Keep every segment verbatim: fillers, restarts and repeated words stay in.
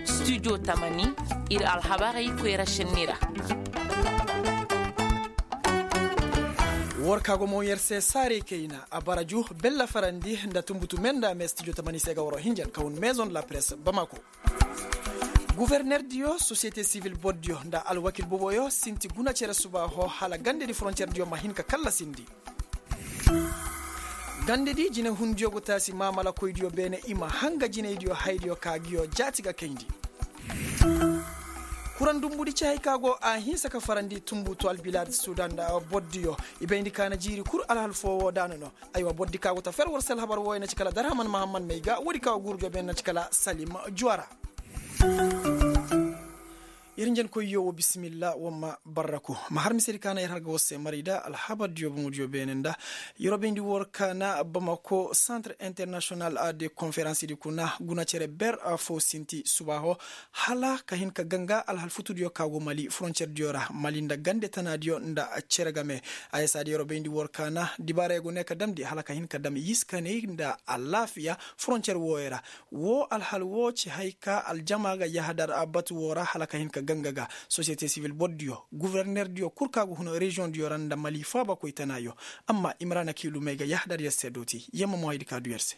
Studio tamani, ir alhabarey koyra šenni ra. War ka go mo yer se saarey kayna a bara ju bella farandi nda tumbutu me nda me studio tamani se ga waro hinjan ka hun maison de la presse bamako. Guverner diyo sosiyete sivil bor diyo nda alwakil boboyo sinti guna cere suba ho hala gande di frontier diyo ma hin ka kallasindi. Gande di jinehundiyo go taasi maamalakoydiyo beene i ma hanga jinaydiyo haydiyo ka giyo jaati ga kayndi. Kuran dumbudi ci hay ka go a hinsa ka farandi tumbutu albilaad sudan nda bordiyo. I bayndi ka na jiiri kul alhal foo woo daana no. Aywa bordi ka go ta fer war se alhabar wooyo na ci kala darhaman mahamman may ga woodi ka go guurudiyo beene na ci kala salim juwara. Yer njenkoyyo wo bisimilla wamma barraku ma har misedi ka na yer har ga war se maray da alhabardiyo boŋodiyo beene nda. Yer wo bayndi war ka na bamako centre international de conférence di kuna guna cere ber fo sinti subaaho hala ka hin ka ganga alhal futudiyo ka go mali frontier diyo ra mali nda gande tanaadiyo nda cere game. Ayesa di yer wo bayndi war ka na dibaarayo go ne ka damndi hala ka hin ka dam yiskaney nda alaafiya frontier wooyo ra. Woo alhal woo ci hay ka aljama ga yahadar batu woo ra hala ka hin ka ganga ga sosiyete sivil bordiyo guvernerdiyo kul ka go hun reziyoŋdiyo ra nda mali faabakoy tanaayo. Amma imrana kiilumey ga yahadar yer se dooti yamma mo haydi ka du yer se.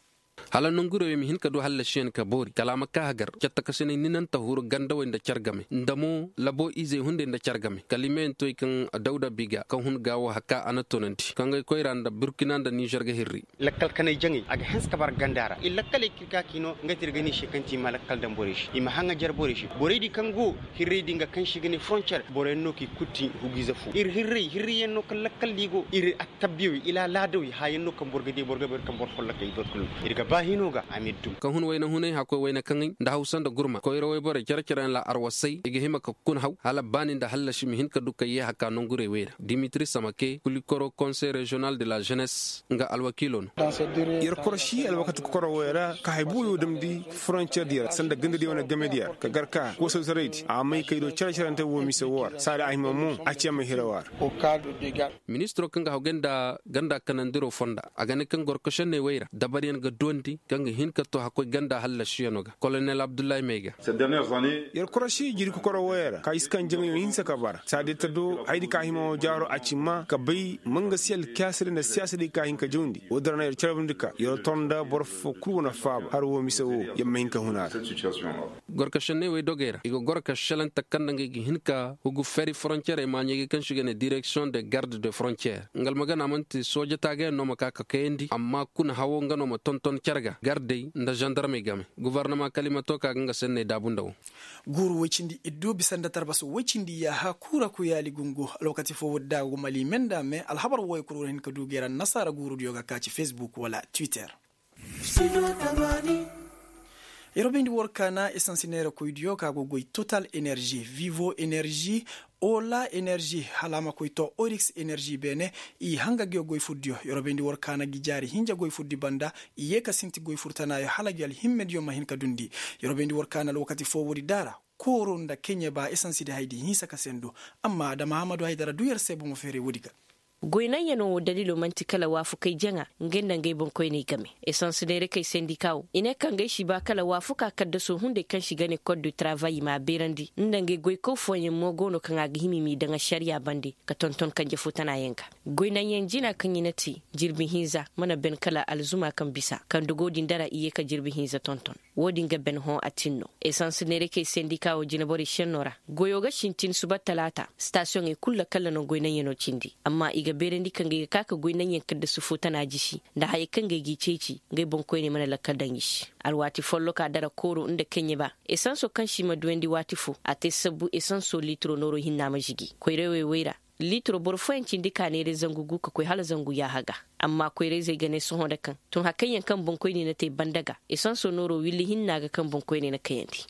Hala nongurey wey ma hin ka du hallasiyaŋ ka boori kala a ma ka hagar cattakasiney ninanta huru gandawey nda car game nda mo labo izey hunday nda car game kala i meyaŋ toy kaŋ dawda biga kaŋ hun gaawo haka a na toonandi kaŋ ga ay koyra nda burkina nda nizer ga hirri. Lakkal kanay jaŋay a ga hanse ka bara ganda ra ir lakkaley kaŋ ir ga ka k'i no nga ti ir ga ne i se kaŋ ti i ma lakkal daŋ borey se i ma haŋajer borey se borey di kaŋ go hirrey di nga kaŋ se i ga ne frontier boroyaŋ no kaŋ i kulu ti hugiize fo ir hirrey hirrey yaŋ no kaŋ lakkal di go ir attabbiyawey ila laadawey haayaŋ no kaŋ boro ga di boro ga bay ir kaŋ boro folloka i boro kulu ir ga ba hino ga a ma ir dum kaŋ hun wayna hunay hakkoy wayna kaŋay nda hawsa nda gurma koyra wayborey care care yaŋ ra arwasay i ga hima ka kuna haw hala baani nda hallasi ma hin ka du ka yee haka nongurey wey ra dimitri samake kulikoro konsey reziyonal de la jenes nga alwakiilo no. Yer korosi alwakati kokoro wey ra ka hay buuyo damndi frontiyer diyo ra sanda gandadiyo wane game diyo ra ka gar ka koosawsaraydi a may kay do cere-cerante woo mise woo ra saadi a hima mo a ci a may hira woo ra. Ministiro kaŋ ga hawgay nda ganda kanandiro fonda a ga ne kaŋ gorkosenney wey ra dabaryaŋ ga duwandi kaŋ ga hin ka to hakkoy ganda hallasiyano ga kolonel abdullahi may ga. Yer korosi jiri kokoro wooyo ra ka iskan jaŋayo hinsa ka bara saadi ta do haydi ka hima woo jaaro a ci ma ka bay mangasi alkaasirey nda siyaasarey ka hin ka jawndi woodin ra no yer carabandi ka yer tor nda boro foo kul wane faaba har woo mise woo yer ma hin ka hun a ra. Gorka šenney wey dogey ra i ga gorka šelante kaŋ nda ngey ga hin ka hugu feri foronciyerey maaɲey ga kaŋ se i ga ne direksiyoŋ de garde de foronciyer nga almagana man'ti sooja taagayaŋ no ma ka ka kayandi amma kuna hawo nga no ma tonton cere ga gardey nda zandarmey game. Gobornama kala i ma to ka ga nga senney daabu nda wo. Guuru woy cindi iddu bisa nda tarbas woy cindi yaaha kuura kuyaali gungu. Alwakati foo woodi da a go mali me nda me alhabar wooyo kul war hin ka du ga yer annasaara guurudiyo ga ka ci fesbuk wala twitter. Yeroo bayndi war ka na esans neerakoydiyo ka go goy total energi vivo energi ola energi hala a ma koy to orix energi beene. I hanga ga goy furdiyo yeroo bayndi war ka na ngi jaari hinja goy furdi banda. I yee ka sinti goy furtanaayo hala ngi alhimmediyo ma hin ka dundi. Yeroo bayndi war ka na alwakati foo woodi daara kooro nda keɲe ba esansi di haydi hinsa ka sendu. Amma adama hamadu haydara du yer se bomo feeray woodi ga. Goy naŋyanoo woo daliloo man'ti kala waafukay jaŋa ngey nda ngey boŋkoyney game. Esans neerakey sendika woo i ne kaŋ ngey si ba kala waafuka kaddasoo hunday kaŋ se i ga ne kod du travay i m'a beerandi nda ngey goykaw fooyaŋ mo go no kaŋ a ga hima i m'i daŋ ašariya bande ka tonton kanje foo tanaayaŋ ga. Goy naŋyaŋ jina kaŋ i na te jirbi hinza mana ben kala alzuma kaŋ bisa kaŋ dogoo din dara i yee ka jirbi hinza tonton. Woo din ga ben hõ a tin no. Esans neerakey sendika woo jineborey šennoo ra goyoo ga sintin suba talaata. Stasiyoŋey kul lakkal na no goy naŋyanoo cindi amma i ga beerandi ka ngey ga ka ka goy naŋyaŋ kaddasi foo tana jisi nda hayey kaŋ ngey g'i ceeci ngey boŋkoyney mana lakkal daŋ i se. Alwaati folloka dara kooro nda keɲe ba esansoo kaŋ se i ma duyandi waati foo a te sabbu esansoo liitiro nooroo hinna ma žigi koyrawey wey ra. Liitiro boro fooyaŋ cindi ka neera zangu gu ka koy hala zangu yaaha ga. Amma koyra-izey ga ne sohõ nda kaŋ tun hakayyaŋ kaŋ boŋkoyney na te banda ga esansoo nooroo willi hinna ga kaŋ boŋkoyney na kayandi.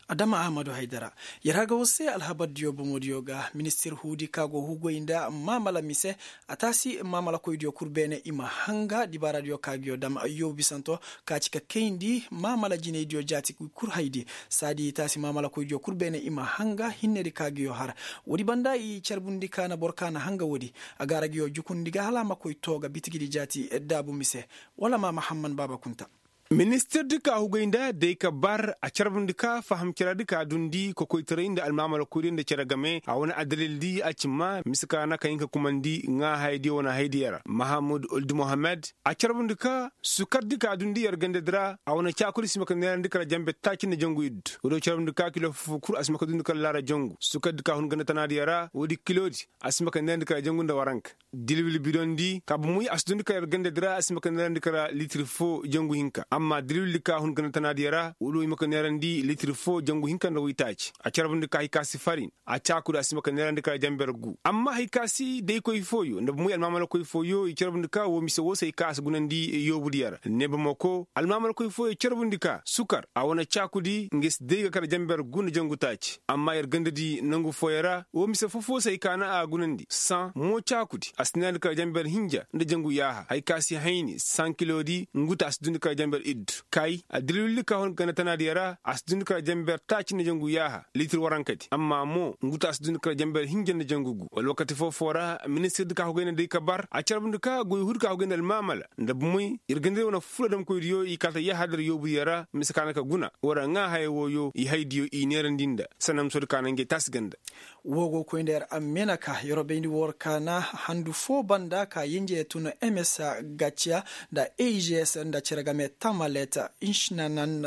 Adama ahmadu haydara. Yer harga war se alhabardiyo boŋodiyo ga ministir huudi ka go hugoy nda maamala mise. A taasi maamalakoydiyo kul beene i ma hanga dibaaradiyo ka ga yo dam yoobu bisanto ka ci ka kayndi maamala jinaydiyo jaati kul haydi. Saadi i taasi maamalakoydiyo kul beene i ma hanga hinnedi ka ga yo har. Woodi banda i carbundi ka na boro ka na hanga woodi. A ga ra ga yo jukundi ga hala a ma koy too ga bitigidi jaati daabu mise. Wala ma mahamman baaba kunta. Ministirdi ka hugay nda day ka bar a carbundi ka faham caradi ka dundi kokoytaray nda almaamalakoydiyo nda cere game a wane addalildi a cimma mise ka na ka hin ka kumandi ŋaa hayadiyo wane hayadiyo ra mahamud uldi mohammed. A carbundi ka sukardi ka dundi yer gandadi ra a wane caakudi si ma ka neerandi kala jambe taaci nda jangu iddu. Woodiyo carbundi ka kilo fofo kul a si ma ka dundi kala laara jangu sukardi ka hun ganda tanaadiyo ra woodi kilodi a si ma ka neerandi kala jangu nda waranka. Dilwil bidondi ka bomoy a si dundi ka yer gandadi ra a si ma ka neerandi kala litir foo jangu hinka amma dilwildi ka hun ganda tanaadiyo ra wala wo i ma ka neerandi litir foo jangu hinka nda woytaaci a carbundi ka hay ka si farin. A caakudi a si ma ka neerandi kala jamber gu amma hay ka si daykoy fooyo nda bomoy almaamalakoy fooyo i carbundi ka woo mise woo se hay ka a si gunandi yoobudiyo ra neebamako almaamalakoy fooyo carbundi ka sukar a wane caakudi nga si day ga kala jamber gu nda jangu taaci amma yer gandadi nangu fooyo ra woo mise foo-foo se hay ka na a gunandi saŋ mo caakudi a si neerandi kala jamber hinja nda jangu yaaha hay ka si hayni saŋ kilodi ngu ta a si dundi kala jamber iddu kay a dilwildi ka hun ganda tanaadiyo ra a si dundi kala jamber taaci nda jangu yaaha litir warankadi amma mo ngu ta a si dundi kala jamber hinja nda jangu gu wala wakati foo-foo ra ministirdi ka hugay nda day ka bar a carbundi ka goy huudi ka hugay nda almaamala nda bomoy yer gandadi wane fula damkoydiyo i kaata yaaha dar yoobudiyo ra mise ka na ka guna wala ŋaa haya wooyo i haydiyo i neerandi nda sanda misoodi ka na ngey taasi ganda. Woo go koy nda yer ammena ka yer wo bayndi war kaana handu foo banda ka yenje tun ms gaciya nda a g s nda cere game tamalet. Inšinanan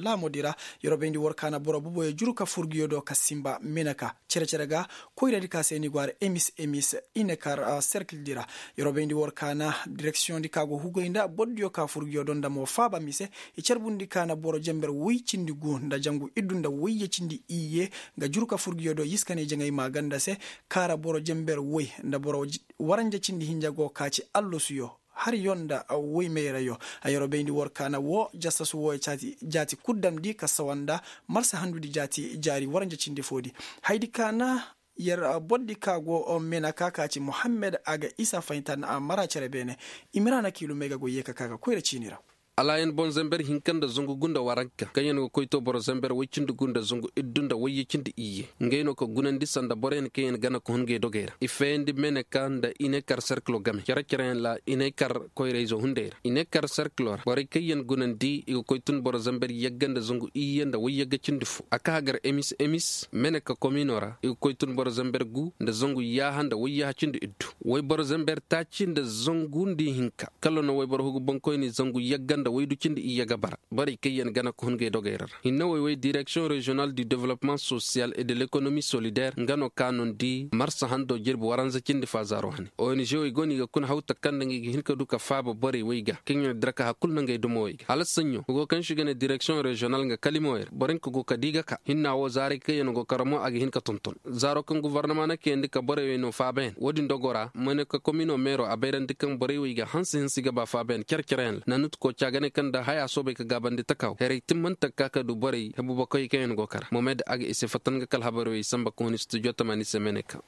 laamodi ra yer wo bayndi war kaana boro boboyo juru ka furguyo do ka sinba mena ka cere-cere ga koyradi ka se ni go har emis emis inekar serkildi ra. Yer wo bayndi war kaana direksiyoŋdi ka go hugay nda bordiyo ka furguyo do nda mo faaba mise i carbundi ka na boro jenber woy cindi gu nda jangu iddu nda woyye cindi iyye. Nga juru ka furguyo do yiska ne jaŋay maaganda se kaara boro jenber woy nda boro waranja cindi hinja go ka ci allasuyo. Har yo nda woy mayrayo a yer wo bayndi war kaana woo jasasu wooyo jaati kul damndi ka sawa nda marsa handudi jaati jaari waranja cindi foodi. Haydi kaana yer bordi ka go mena ka ka ci muhammed a ga isa fahinta na a mara cere beene. Imira na kiilumey ga go yee ka ka ga koyra ciini ra. Alaayan boŋ zember hinka nda zangu gu nda waranka kaŋ yaŋ ga koy to boro zember woy cindi gu nda zangu iddu nda wayye cindi iyye. Ngey no ka gunandi sanda boroyaŋ kaŋ yaŋ gana ka hun ngey dogey ra i feeyandi meneka nda inekar serkilo game care-careyaŋ ra inekar koyrayzo hunday ra inekar serkilo ra borey kaŋ yaŋ gunandi i ga koy tun boro zember yagga nda zangu iyye nda wayyagga cindi fo a ka hagar emis emis meneka komino ra i ga koy tun boro zember gu nda zangu yaaha nda wayyaha cindi iddu. Wayboro zember taaci nda zangu nda ihinka kala no wayboro hugu boŋkoyni zangu yagga nda waydu cindi iyye ga bara. Borey kaŋ yaŋ gana ka hun ngey dogey ra ra hinne woy woy direksiyoŋ reziyonal du developpement sosiyal et de lekonomi solidaire nga no ka no nda i marsa hando jirbi waranza cindi faazaaro hane onžewey go no i ga kuna hawta kaŋ nda ngey ga hin ka du ka faaba borey woy ga kaŋ yaŋ dira ka har kulu nda ngey dumawey ga hala saɲɲo nga go kaŋ se i ga ne direksiyoŋ reziyonal nga kalimoyey ra boro hinka go ka di ga ka hinna wo zaaray kaŋ yaŋ go kara mo a ga hin ka tonton zaaro kaŋ guvarnama na kayandi ka borey wey no faabayaŋ wo-din dogo ra ma ne ka komino meero a bayrandi kaŋ borey wey ga hanse hinsi ga ba faabayaŋ care-careyaŋ ra nanut kooca ga ne kaŋ nda haya soobay ka gaabandi taka wo heray timmante ga ka ka du borey hebu bakoy kaŋ yaŋ go kara momed a ga i se fatta nga kala habarey wey samba ka hun studio tamaani se meeney kaŋ.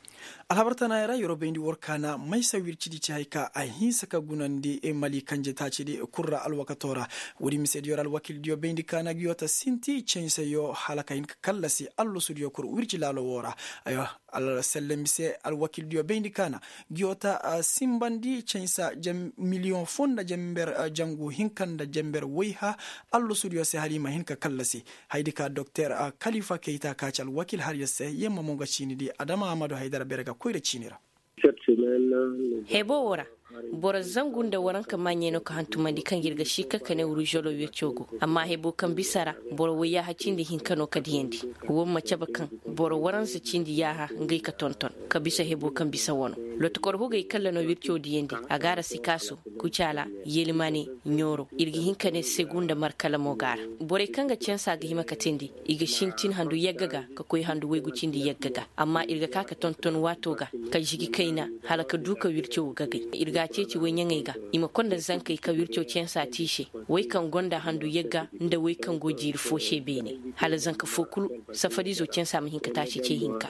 Alhabar tanaayey ra yeroo bayndi war kaana maysa wircidi ci hay ka a hinsa ka gunandi mali kanje taacidi kul ra alwakato ra. Woodi misediyo ra alwakildiyo bayndi kaana ga yoo ta sinti canseyo hala ka hin ka kallasi allasudiyo kul wirci laalo woo ra. Aywa, alselle mise alwakildiyo bayndi kaana ga yoo ta sinbandi cansa miliyoŋ foo nda janber jangu hinka nda janber wayha. Allasudiyo se hala i ma hin ka kallasi. Haydi ka doktor kalifa kayta ka ci alwakil har yer se yer ma mo nga ciini di adama ahmadu haydara bere ga koyra ciini ra. Hebo wo ra boro zangu nda waranka maaɲey no ka hantumandi kaŋ ir ga si ka kane wuru zolo wirco go. Amma hebo kaŋ bisa ra boro wayyaha cindi hinka no ka diyandi. Wo ma cabe kaŋ boro waransa cindi yaaha ngey ka tonton ka bisa hebo kaŋ bisa wano. Lotokor hugey kalla no wirco diyandi a ga ara sikaaso, kucaala, yelimane, ɲooro ir ga hin ka ne segu nda markala mo ga ara. Borey kaŋ ga cansa ga hima ka teendi i ga sintin handu yagga ga ka koy handu waygu cindi yagga ga. Amma ir ga ka ka tonton waato ga ka zigi kayna hala ka du ka wirco gagay. Ir ga Ceeci woy ɲaŋey ga, i ma konda zankey ka wirco cansa te i se, woy kaŋ gonda handu yagga nda woy kaŋ go jiiri fo se beene, hala zanka fo kulu safarizo cansa ma hin ka taasi ce hinka.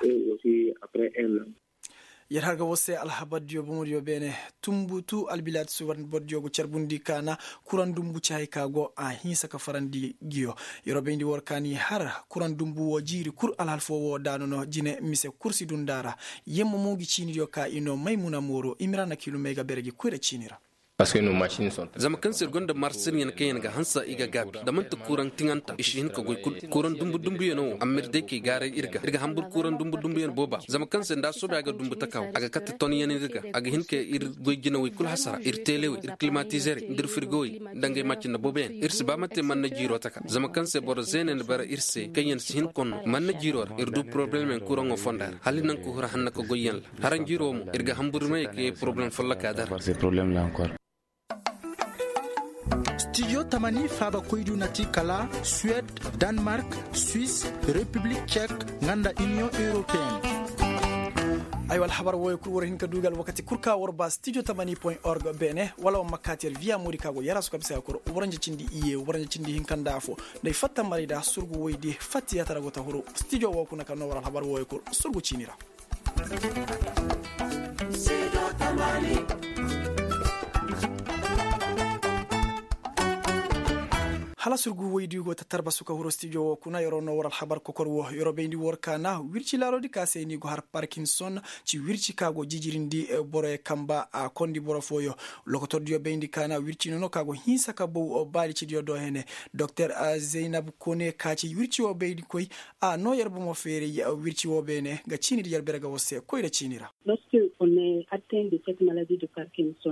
Yer har ga war se alhabardiyo bomodiyo beene. Tumbutu albilaati subar bordiyo go carbundi kaana kuraŋ dumbu ci hay ka go a hinsa ka farandi. Giyo yer wo bayndi war kaani har kuraŋ dumbu wo jiiri kul alhal fo wo daanu no jine mise kul si dunda ra. Yemma mo ngi ciinidiyo ka i no maymuna mooro imira na kiilu may ga bere gi koyra ciini ra. Zama kaŋ se ir gonda marsinyaŋ kaŋ yaŋ ga hansa i ga gaabi da man'ti kuraŋ tiŋanta i si hin ka goy kul. Kuraŋ dumbu dumbuyaŋo wo amma ir day kay gaaray ir ga ir ga hambur kuraŋ dumbu dumbuyaŋ booba zama kaŋ se nda a soobay a ga dumbu taka wo a ga kate tonyaŋ ir ga a ga hin ka ir goy jinawey kul hasara ir teelewey ir kilimatizerey nda ir firgowey nda ngey maacin nda booboyaŋ ir si ba ma te manna jiiro taka zama kaŋ se boro zeene nda bara ir se kaŋ yaŋ si hin konno manna jiiro ra ir du porobalem yaŋ kuraŋo fonda ra hala i naŋ ka hura hanna ka goy yaŋ ra. Haranjiro mo ir ga hambur may ka yee porobalem follaka dara. Stijo tamani faaba koydu na ti kala suwed, danmark, suis, repiblik cek, nga nda iniyoŋ europeen. Ay wala habar wooyo kul war hin ka duugal wakati kul ka war ba stijo tamani point org beene wala war ma kaati yer viya moodi ka go yara su ka bisa ya kul waranja cindi iye waranja cindi hinka nda afo. Nda ay fatta maray da surgu woy di fatti ya tara go ta huru stijo woo kuna ka noo war alhabar wooyo kul surgu ciini ra. Hala surgu woy di go ta tarba su ka huru stijo woo kuna yer wo noo war alhabar kokor woo yer wo bayndi war kaana wirci laalo di ka se ni go har parkinson. Ci wirci ka go jijirindi boroyo kamba a kondi boro fooyo. Lokotordiyo bayndi kaana wirci nono ka go hinsa ka bow baalicidiyo do hene. Doktor zaynab kone ka ci wirci woo bayndi koy a noo yer bomo feeray wirci woo beene ga ciini di yer bere ga war se koyra ciini ra.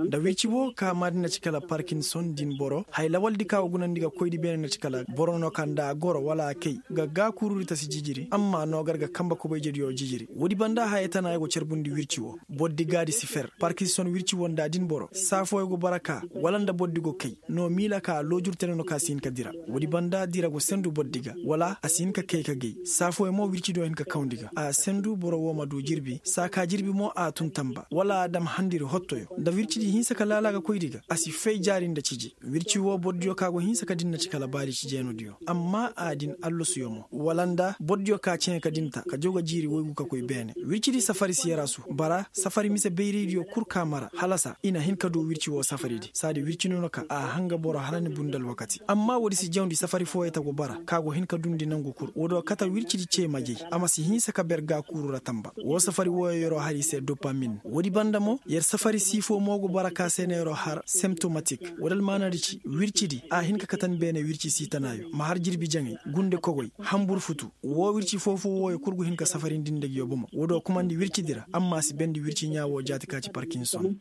Nda wirci woo ka maadi na ci kala parkinson din boro hay lawaldi ka go gunandi ga koydi beene na ci kala boro no ka nda a goro wala a kay ga gaakuurudi ta si jijiri amma noogar ga kamba kobayjediyo jijiri woodi banda haya tana ya go carbundi wirci woo. Bordi gaadi si fer parkinson wirci woo nda din boro saa fooyo go bara ka wala nda bordi go kay no miila ka loojur tene no ka si hin ka dira. Woodi banda dira go sendu bordi ga wala a si hin ka kay ka gay saa fooyo mo wircidiyo hin ka kawndi ga a sendu boro woo ma du jirbi saa ka jirbi mo a tun tamba wala a dam handiri hottoyo nda wircidi hinsa ka laala ga koydi ga a si fay jaari nda ciji. Wirci woo bordiyo ka go hinsa ka din na ci kala baali ci jeenudiyo amma a din allasuyo mo wala nda bordiyo ka ceŋe ka din ta ka jaw ga jiiri woygu ka koy beene. Wircidi safari si yarasu bara safari mise bayraydiyo kul ka mara halasa i na hin ka du wirci woo safaridi saadi wirci nono ka a hanga boro hala ni bunda alwakati amma woodi si jawndi safari fooyo ta go bara ka go hin ka dundi nangu kul woodiyo kate wircidi cee majey a ma si hinsa ka ber gaakuuru ra tamba. Woo safari wooyo yeroo har i se dopamin woodi banda mo yer safari siifoo mo go bara ka se na yeroo har semtomatik. Woodi almaanadi ci wircidi a hin ka katan beene wirci siitanaayo ma har jirbi jaŋay gunde kogoy hambur futu. Woo wirci foofoo wooyo kul go hin ka safarindi nda ngiyo bomo woodiyo kumandi wircidi ra amma a si bendi wirci ɲaa woo jaati ka ci parkinson.